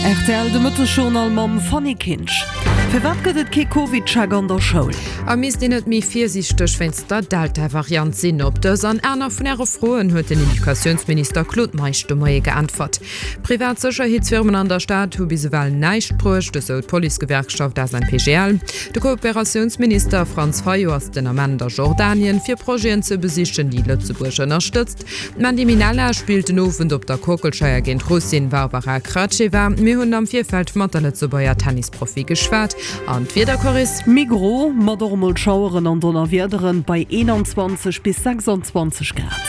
Rtl, De Mëttesjournal mam Fanny Kinsch. Firwat gëtt et kee Covid-Check an der Schoul? A misst een net méi virsiichteg wéinst der Delta-Variant sinn? Op dës an aner vun Äre Froen huet den Educatiounsminister Claude Meisch de Moie geäntwert. Privat Sécherheetsfirmen an der Stad hu bis ewell näischt bruecht, esou d'Policegewerkschaft SNPGL. De Kooperatiounsminister Franz Fayot ass den Ament a Jordanien, fir Projeten ze besichen, déi Lëtzebuerg ënnerstëtzt. D'Mandy Minella spillt den Owend op der Kockelscheier géint d'Russin Varvara Gracheva. Mir hunn am Virfeld mat der Lëtzebuerger Tennisprofi geschwat. An d'Wieder, Coris? Méi gro, mat och emol Schaueren an Donnerwiederen, bei 21 bis 26 Grad.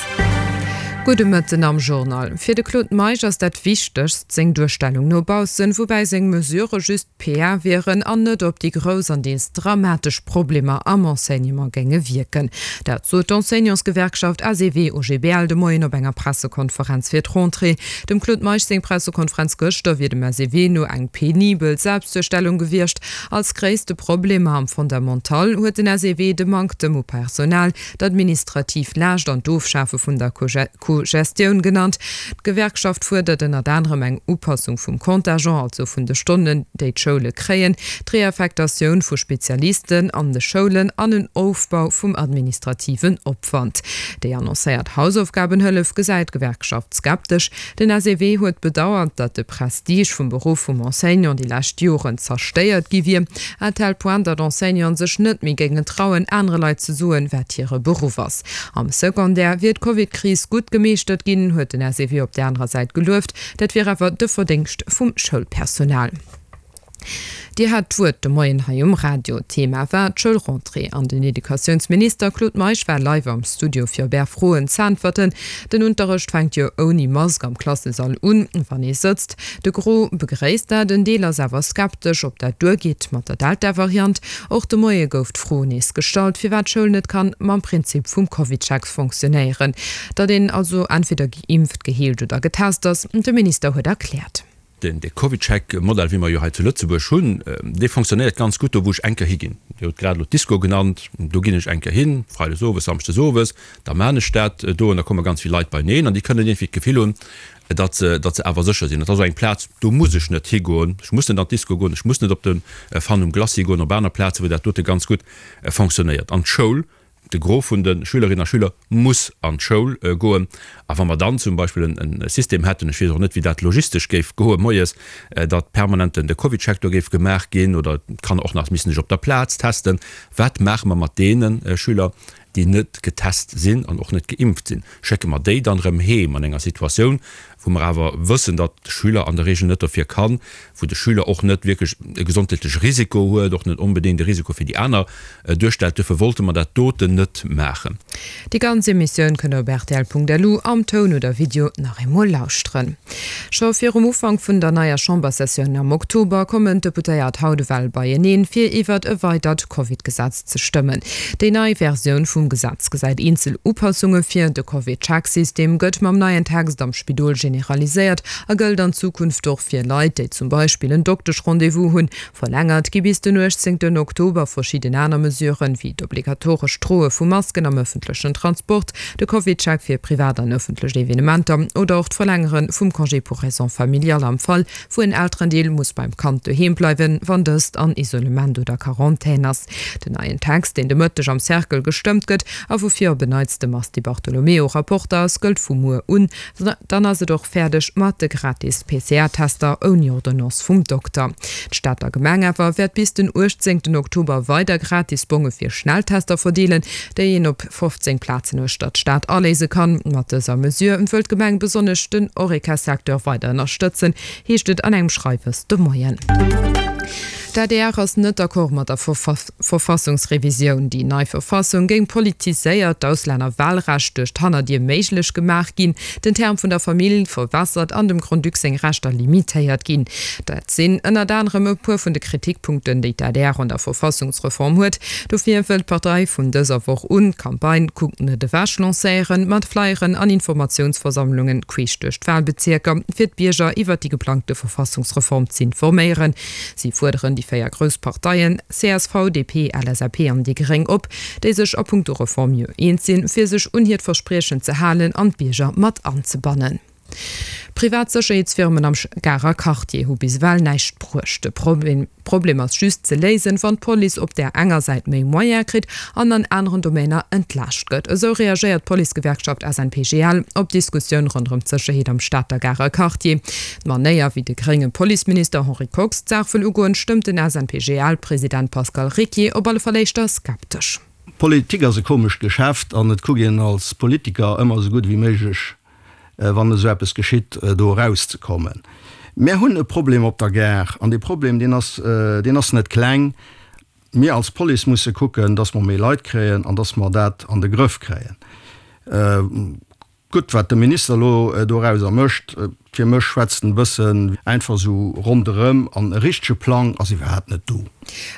Gudde Mëtten am Journal. Fir de Claude Meisch ass dat Wichtegst seng Duerstellung no baussen, woubäi seng Mesurë just PR wieren an net op déi grouss an deels dramatesch Problemer am Enseignement géinge wierken. Dat sot d'Enseignantsgewerkschaft SEW-OGBL de Moien op enger Pressekonferenz fir d'Rentrée. Dem Claude Meisch seng Pressekonferenz gëschter wier dem SEW no eng penibel Selbstduerstellung gewiescht. Als gréisste Problemer am Fondamental huet den SEW de Manktem u Personal, d'administrativ Laascht an d'Ofschafe vun der Co-Gestioun genannt. D'Gewerkschaft fuerdert ënnert anerem eng Upassung vum Contingent, also vun de Stonnen, déi d'Schoule kréien, d'Reaffektatioun vu Spezialisten an de Schoulen an en Ofbau vum administrativen Opwand. Déi annoncéiert Hausaufgabenhëllef gesäit d'Gewerkschaft skeptesch. Den SEW huet bedauert, datt de Prestige vum Beruff vum Enseignant déi lescht Joren zerstéiert gi wier, à tel point, datt Enseignanten sech net méi géingen trauen, anere Leit ze soen, wat hire Beruff ass. Am Secondaire wier d'Covid-Kris gutt gemeeschtert ginn, huet den SEW op där anerer Säit gelueft. Dat wier awer de Verdéngscht vum Schoulpersonal. Dir hat d'Wuert de Moien hei um Radio. D'Thema war d'Schoulrentrée an den Educatiounsminister Claude Meisch war live am Studio fir op Är Froen z'äntwerten. Den Unterrecht fänkt jo ouni Mask am Klassesall un, wann ee sëtzt. De Gros begréisst dat, en Deel ass awer skeptesch, ob dat duergeet mat der Delta-Variant. Och de Moie gouf d'Fro nees gestallt, firwat d'Schoul net kann mam Prinzip vum CovidCheck fonctionnéieren, datt een also entweder geimpft, geheelt oder getest ass. De Minister huet erkläert. De CovidCheck-Modell, wéi mer jo hei zu Lëtzebuerg hunn, dee fonctionnéiert ganz gutt do, wou ech eng Kéier higinn. Dir hutt grad elo d'Disco genannt, do ginn ech eng Kéier hin, freides owes, samschdes owes, da maan ech dat do an da komme ganz vill Leit beineen an déi kënnen iergendwéi d'Gefill hunn, datt se, datt se awer sécher sinn. Dat ass och eng Plaz, do muss ech net higoen, ech muss net an d'Disco goen, ech muss net op de Fun um Glacis goen, op aner Plazen, wou dat dote ganz gutt fonctionnéiert. An d'Schoul, de Gros vun de Schülerinnen a Schüler muss an d'Schoul goen. A wa mer dann zum Beispill e System hätten, ech weess och net, wéi dat logistesch géif goe moies, datt permanent de CovidCheck do géif gemaach ginn oder d'Kanner och nach missten sech op der Plaz testen, wat maache mer mat deene Schüler, déi net getest sinn an och net geimpft sinn, schécke mer déi dann erëm heem an enger Situatioun, wou mer awer wëssen, datt de Schüler an der Regel net dofir kann, wou de Schüler och net wierklech e gesondheetleche Risiko huet, och net onbedéngt e Risiko fir déi aner duerstellt. Duerfir wollte mer dat doten net maachen. Déi ganz Emissioun kënnt der op rtl.lu am Toun oder Video nach eemol lauschteren. Scho virum Ufank vun der neier Chambersessioun am Oktober kommen d'Deputéiert haut ewell beieneen, fir iwwert e weidert Covid-Gesetz ze stëmmen. Déi nei Versioun vum Gesetz gesäit eenzel Upassunge vir. De Covid-Check-System gëtt mam neien Text am Spidol generaliséiert a gëllt an Zukunft och fir Leit, déi zum Beispill en Doktesch-Rendez-vous hunn. Verlängert gi bis den 18 Oktober verschidden aner Mesuren, wéi d'obligatorescht Droe vu Masken am ëffentlechen Transport, de Covid-Check fir privat an ëffentlech Evenementer oder och d'Verlängere vum Congé pour raisons familiales am Fall, wou en Elterendeel muss beim Kand doheem bleiwen, wann dëst an Isolement oder Quarantän ass. Den neien Text, deen de Mëtteg am Cercle gestëmmt gëtt a woufir op en Neits de Mars Di Bartolomeo Rapporter ass, gëllt vu muer un. Dann ass et och fäerdeg mat de gratis PCR-Tester ouni Ordonnance vum Dokter. D'Stater Gemeng awer wäert bis den 18 Oktober weider gratis Bonge fir Schnelltester verdeelen, déi een op 15 Plazen uechter d'Stad aléise kann. Mat dëser Mesure wëll d'Gemeng besonnesch den Horeca-Secteur weider ënnerstëtzen, heescht et an engem Schreiwes de Moien. D'adr ass net d'accord mat der Verfassungsrevisioun. Déi nei Verfassung géing politiséiert, d'Auslännerwahlrecht duerch d'Hannerdier méiglech gemaach ginn, den Term vun der Famill verwässert an dem Grand-Duc seng Rechter limitéiert ginn. Dat sinn ënnert anerem e puer vun de Kritikpunkten, déi d'ADR un der Verfassungsreform huet. Dofir wëll d'Partei vun dëser Woch un d'Campagne Kuckt net ewech lancéieren, mat Flyeren an Informatiounsversammlungen queesch duerch d'Wahlbezierker, fir d'Bierger iwwert déi geplangte Verfassungsreform z'informéieren. Si fuerderen déi 4 grouss Parteien, csv, DP, LSAP an déi gréng op, déi sech a punkto Reform jo eens sinn, fir sech un hiert Verspriechen ze halen an d'Bierger mat anzebannen. Privat Sécherheetsfirmen am Garer Quartier hu bis ewell näischt bruecht. De Problem ass just ze léisen, wann d'Police op där enger Säit méi Moyene kritt an an aneren Domainer entlaascht gëtt. Esou reagéiert d'Policegewerkschaft SNPGL op d'Diskussioun ronderëm d'Sécherheet am Stater Garer Quartier. D'Manéier, wéi de grénge Policeminister Henri Kox d'Saach wëll ugoen, stëmmt den SNPGL-President Pascal Ricquier op alle Fall éischter skeptesch. Politik ass e komescht Geschäft an et kuckt een als Politiker ëmmer esou gutt ewéi méiglech, wann esou eppes geschitt, do erauszekommen. Mär hunn e Problem op der Gare an dee Problem, deen ass, deen ass net kleng. Mir als Police musse kucken, dass mer méi Leit kréien an dass mer dat an de Grëff kréien. Gutt, wat de Minister elo dorauser mécht, fir mech schwätzt en e bëssen einfach esou ronderëm an e richtege Plang ass iwwerhaapt net do.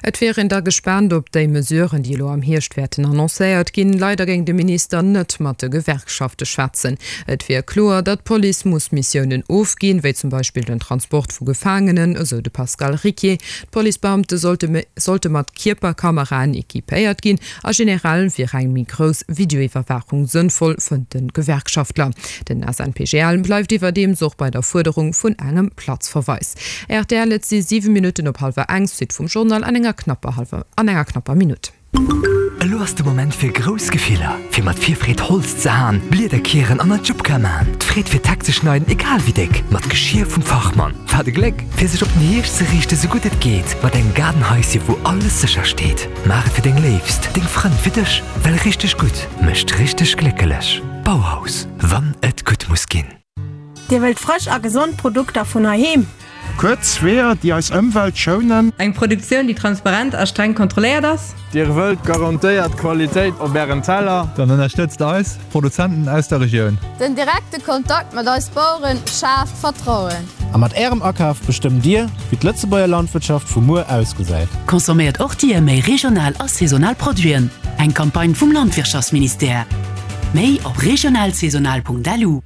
Et wier een da gespaant op déi Mesuren, déi elo am Hierscht wäerten annoncéiert ginn. Leider géing de Minister net mat de Gewerkschafte schwätzen. Et wier kloer, datt d'Police muss Missiounen ofginn, wéi zum Beispill den Transport vu Gefaangenen, esou de Pascal Ricquier. D'Policebeamte sollte mat Kierperkameraen equipéiert ginn A generell wier eng méi grouss Videoiwwerwaachung sënnvoll, fënnt de Gewerkschaftler. Den SNPGL bleift iwwerdeems och bei der Fuerderung vun engem Platzverweis. Rtl, Et si 7 Minutten op hallwer eng, Suite vum Journal an enger knapper hallwer an enger knapper Minutt. Elo ass de Moment fir grouss Gefiller, fir mat Virfreed Holz ze haen, Blieder kieren an Ajupka man, d'Freed fir d'Heck ze schneiden, egal wéi déck, mat Geschir vum Fachmann. Wat e Gléck, fir sech op den Hierscht ze riichte sou gutt et geet, mat engem Gaardenhaisje wou alles sécher steet. Maach et fir deng Léifst, deng Frënn, fir dech, well richteg gutt mécht richteg gléckelech. Bauhaus, wann et gutt muss ginn. Dir wëllt frësch a gesond Produkter vun heiheem? Kuerz Weeër, déi eis Ëmwelt schounen. Eng Produktioun, déi transparent a streng kontrolléiert ass? Dir wëllt garantéiert Qualitéit op Ären Teller? Dann ënnerstëtzt eis Produzenten aus der Regioun. Den direkte Kontakt mat eis Baueren schaaft Vertrauen. A mat Ärem Akaf bestëmmt Dir, wéi d'Lëtzebuerger Landwirtschaft vu muer ausgesäit. Consomméiert och Dir méi regional a saisonal Produiten. Eng Campagne vum Landwirtschaftsministère. Méi op regionalsaisonal.lu.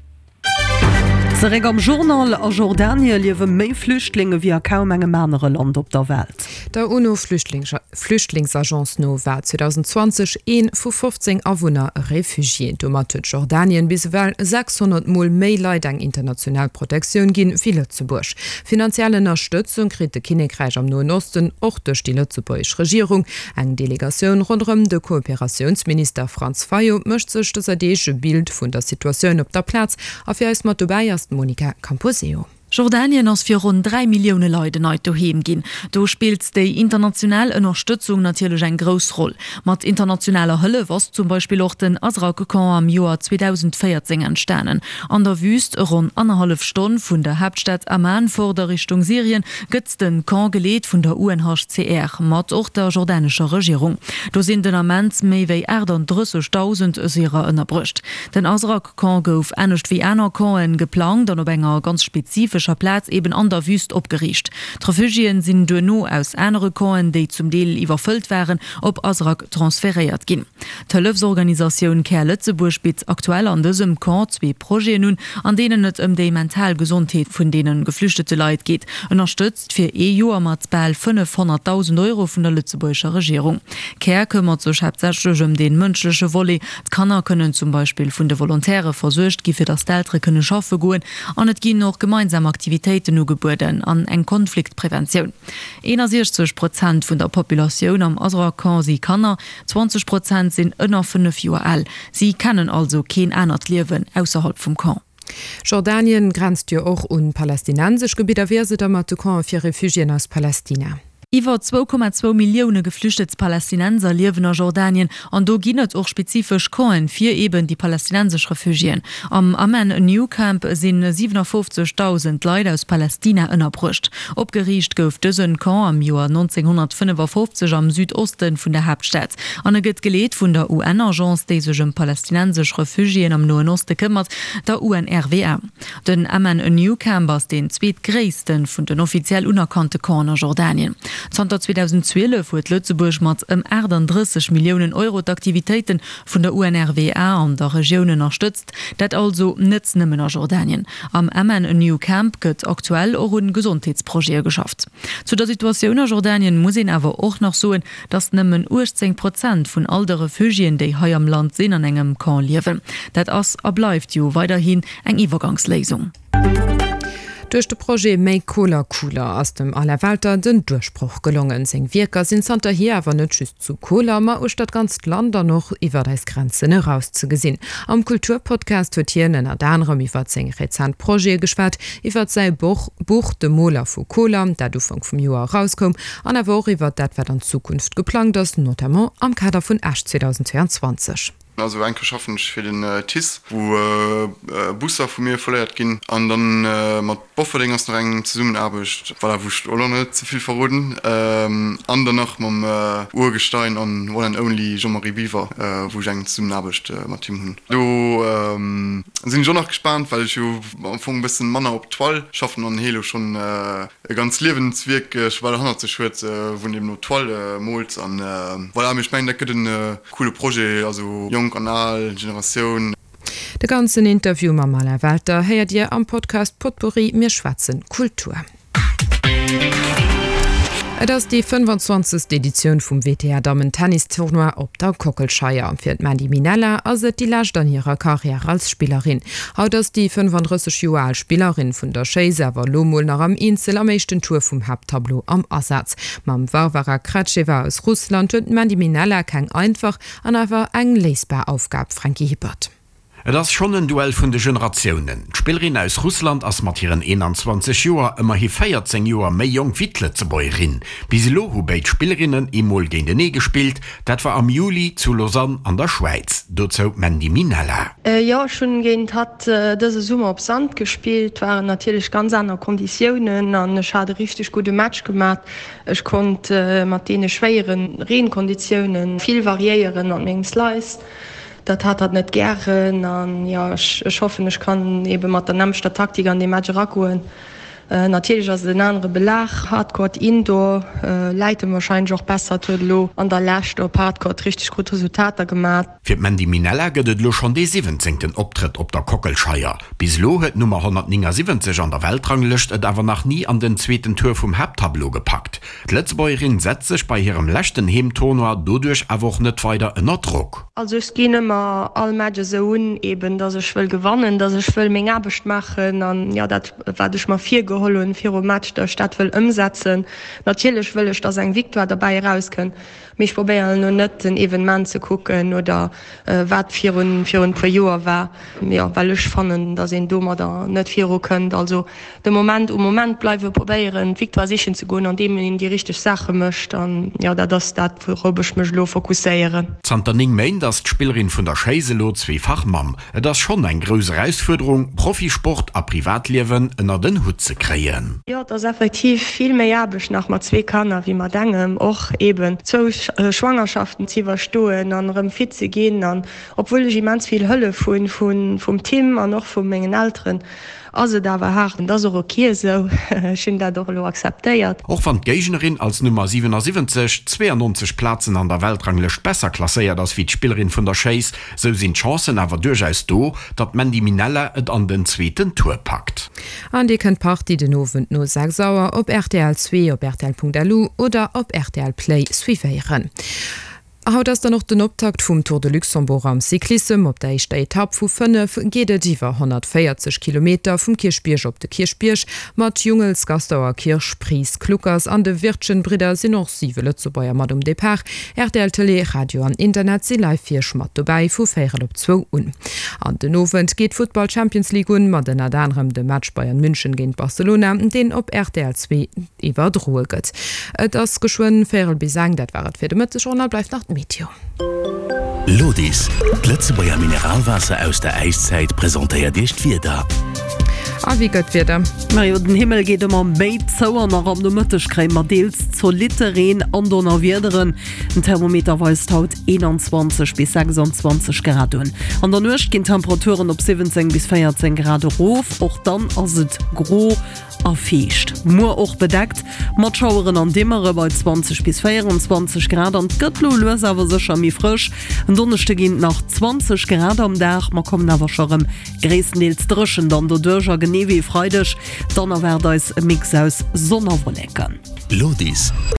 Zeréck am Journal, A Jordanie liewe méi Flüchtlinge wéi a kaum engem anere Land op der Welt. Der UNO-Flüchtlingsagence no war 2020 ee vu 15 Awunner e Refugié. Domat huet Jordanien bis ewell 600 Mol méi Leit eng international Protektioun ginn, wéi Lëtzebuerg. Finanziell Ënnerstëtzung kritt de Kinnekräich am Noen Osten och duerch déi lëtzebuergesch Regierung. Eng Delegatioun ronderëm de Kooperatiounsminister Franz Fayot mécht sech dëser Deeg e Bild vun der Situatioun op der Plaz a fir eis mat dobäi ass d'Monica Camposeo. Jordanien ass fir ronn 3 Millioune Leit en neit Doheem ginn. Do spillt déi international Ënnerstëtzung natierlech eng grouss Roll. Mat internationaler Hëllef ass zum Beispill och den Azraq-Camp am Joer 2014 entstanen. An der Wüüst, ronn annerhallef Stonn vun der Haaptstad Amman fort a Richtung Syrien, gëtt de Camp geleet vun der UNHCR, mat och der jordanescher Regierung. Do sinn den Ament méi wéi 38.000 Syrer ënnerbruecht. Den Azraq-Camp gouf, anescht wéi aner Campen, geplangt an op enger ganz spezifescher Plaz, eben an der Wüst, opgeriicht. D'Refugiéen sinn duerno aus anere Campen, déi zum Deel iwwerfëllt waren, op Azraq transferéiert ginn. D'Hëllefsorganisatioun Care Lëtzebuerg bitt aktuell an dësem Camp zwee Projeten un, an deenen et ëm déi mental Gesondheet vun deene geflüchtete Leit geet, ënnerstëtzt fir ee Joer mat bal 500.000 Euro vun der lëtzebuergescher Regierung. Care këmmert sech haaptsächlech ëm dee mënschleche Volet. D'Kanner kënnen zum Beispill vun de Volontaire versuergt gi fir datt d'Eltere kënne schaffe goen an et ginn och gemeinsam Aktivitéiten ugebueden an eng Konfliktpreventioun. 61 Prozent vun der Populatioun am Azraq-Camp si Kanner, 20 Prozent sinn ënner 5 Joer al. Si kennen also keen anert Liewen ausserhalb vum Camp. Jordanien grenzt jo och un palästinensesch Gebidder. Wéi ass et da mat de Campen fir Refugiéen aus Palästina? Iwwer 2,2 Millioune geflüchtet Palästinenser liewen a Jordanien an do ginn et och spezifesch Campen fir eben déi palästinensesch Refugiéen. Am Amman New Camp si 57.000 Leit aus Palästina ënnerbruecht. Opgeriicht gouf dësen Camp am Joer 1955 am Südoste vun der Haaptstad an e gëtt geleet vun der UN-Agence, déi sech ëm palästinensesch Refugiéen am Noen Oste këmmert, der UNRWA. Den Amman New Camp ass deen zweetgréisste vun den offiziell unerkannte Campen a Jordanien. Zanter 2012 huet Lëtzebuerg mat ëm 38 Milliounen Euro d'Aktivitéite vun der UNRWA an der Regioun ënnerstëtzt, dat also net nëmmen a Jordanien. Am Amman New Camp gëtt aktuell och un Gesondheetsprojete geschafft. Zu der Situatioun a Jordanien muss een awer och nach soen, datt nëmmen 18 Prozent vun all de Refugiéen, déi hei am Land sinn, an engem Camp liewen. Dat ass a bleift jo weiderhin eng Iwwergangsléisung. Duerch de Projet Make Koler Cooler ass dem Alain Welter den Duerchbroch gelongen. Seng Wierker sinn zanterhier awer net just zu Koler, ma uechter d'ganzt Land an och iwwert eis Grenzen eraus ze gesinn. Am Kulturpodcast huet hien ënnert anerem iwwert seng rezent Projete geschwat, iwwert säi Buch De Moler vu Koler, dat Ufank vum Joer erauskoum, an awer och iwwert dat, wat an Zukunft geplangt ass, notamment am Kader vun Esch 2022. Also eng Kéier schaffen ech fir den TICE, wou Busser vu mir folléiert ginn. An dann mat Bofferdeng ass nach eng Zesummenaarbecht, voilà, wou ech och nach net ze vill verroden. An dann nach mam Urgestein an One and Only Jean-Marie Biwer, wou ech eng Zesummenaarbecht mat him hunn. Do sinn ech och nach gespaant, well ech jo am Fong e bëssen manner op Toile schaffen an hee lo schonn e ganz Liewenswierk scho bal hannert sech huet, wou en eben op Toile moolt. An voilà, mee ech mengen dat gëtt en Coole Projet, also jonk an al Generatioun. De ganzen Interview mam Alain Welter héiert Dir am Podcast Potpourri, Mir schwätzen Kultur. Et ass déi 25. Editioun vum WTA Dammen Tennis Tournoi op der Kockelscheier. Fir d'Mandy Minella ass et déi lescht an hirer Karriär als Spillerin. Haut ass déi 35 Joer al Spillerin vun der Schéiss awer elo mol nach am Eenzel am éischten Tour vum Haapttableau am Asaz. Mam Varvara Kratscheva aus Russland huet d'Mandy Minella keng einfach an awer eng léisbar Aufgab, Franky Hippert. Et ass schonn en Duell vun de Generatiounen. D'Spillerin aus Russland ass mat hiren 21 Joer ëmmerhi 14 Joer méi jonk wéi d'Lëtzebuergerin. Bis elo hu béid Spillerinnen eemol géintenee gespillt, dat war am Juli zu Lausanne an der Schwäiz. Dozou d'Mandy Minella. Jo, ech hunn géint hatt dëse Summer op Sand gespillt. Waren natierlech ganz aner Konditiounen an ech hat e richteg gudde Match gemat. Ech konnt mat deene schwéiere Reenkonditioune vill variéieren mat mengem Slice. Dat hat hatt net gären an jo, ech hoffen ech kann ebe mat der nämmlechter Taktik an dee Match eragoen. Natierlech ass et en anere Belag, Hardcourt, Indoor läit em warscheinlech och besser. Hatt huet elo an der Lescht op Hardcourt richteg gutt Resultater gemat. Fir d'Mandy Minella gëtt et elo schonn dee siwwenzéngten Optrëtt op der Kockelscheier. Bis elo huet d'Nummer 179 an der Weltranglëscht et awer nach ni an den zweeten Tour vum Haapttableau gepackt. D'Lëtzebuergerin setzt sech bei hirem leschten Heemtournoi doduerch awer och net weider ënner Drock. Also ech ginn ëmmer all Match esou un, eben dass ech wëll gewannen, dass ech wëll meng Aarbecht maachen an jo dat wat ech mer virgeholl hunn virum Match, dass ech dat wëll ëmsetzen. Natierlech wëll ech, dass eng Victoire derbäi erauskënnt. Mee ech probéieren elo net den Evenement ze kucken oder wat virun virun puer Joer war, jo well ech fannen, datt een domadder net viru kënnt. Also de Moment um Moment bleiwen, probéieren d'Victoire sichen ze goen andeem een déi richteg Saache mécht an jo dat ass dat wourop ech mech elo fokusséieren. Zanter 9 Méint ass d'Spillerin vun der Schéiss elo zweefach Mamm. Et ass schonn eng grouss Erausfuerderung, Profisport a Privatliewen ënnert en Hutt ze kréien. Jo, et ass effektiv vill méi Aarbecht nach mat zwee Kanner wéi mat engem. Och eben zwou Schwangerschaften ze iwwerstoen an erëm fit ze ginn. An obwuel ech immens vill Hëllef hunn vum Tim an och vu mengen Elteren, ass et awer haart. An et ass och ok esou. Ech hunn dat och elo akzeptéiert. Och wann d'Géignerin als Nummer 77 92 Plazen an der Weltranglëscht besser klasséiert ass wéi d'Spillerin vun der Schéiss, Sou sinn d'Chancen awer duerchaus do, datt d'Mandy Minella et an den zweeten Tour packt. An Dir kënnt d'Partie den Owend no 6 Auer op rtl 2, op rtl.lu oder op rtl Play suivéieren. Haut ass dann och den Optakt vum Tour de Luxembourg am Cyclissem. Op der éischter Etapp vu 5 geet et iwwer 140 Kilometer vum Kierchbierg op de Kierchbierg. Mat Jungels, Gastauer, Kirsch, Pries, Kluckers an de Wirtgen-Bridder sinn och 7 Lëtzebuerger mat um Depart. Rtl Tëlee, Radio an Internet si live fir iech mat dobäi vu véierel op zwou un. An den Owend geet d'Futtball Champions League un, mat ënnert anerem dem Match Bayern München géint Barcelona, deen op rtl 2 iwwerdroe gëtt. Et ass geschwënn véierel bis eng, dat war et fir de Mëtteg. An bleift nach d'Meteo. Lodis, d'Lëtzebuerger Mineralwaasser aus der Äiszäit presentéiert Iech d'Wieder. A wéi gëtt d'Wieder? Majo, den Himmel geet ëmmer méi zou an nach am Nomëtteg kréie mer deels zolitte Reen an Donnerwiederen. Den Thermometer weist haut 21 bis 26 Grad un. An der Nuecht ginn d'Temperaturen op 17 bis 14 Grad erof, och dann ass et gro a fiicht. Muer och bedeckt mat Schaueren an Dimmere bei 20 bis 24 Grad an et gëtt lo lues awer sécher méi frësch. En Donneschde ginn et nach 20 Grad am Dag, mer kommen awer scho rëm gréisstendeels dréchen dann doduerch a genee wéi e Freideg dann erwaart eis e Mix aus Sonn a Wolleken. Lodis.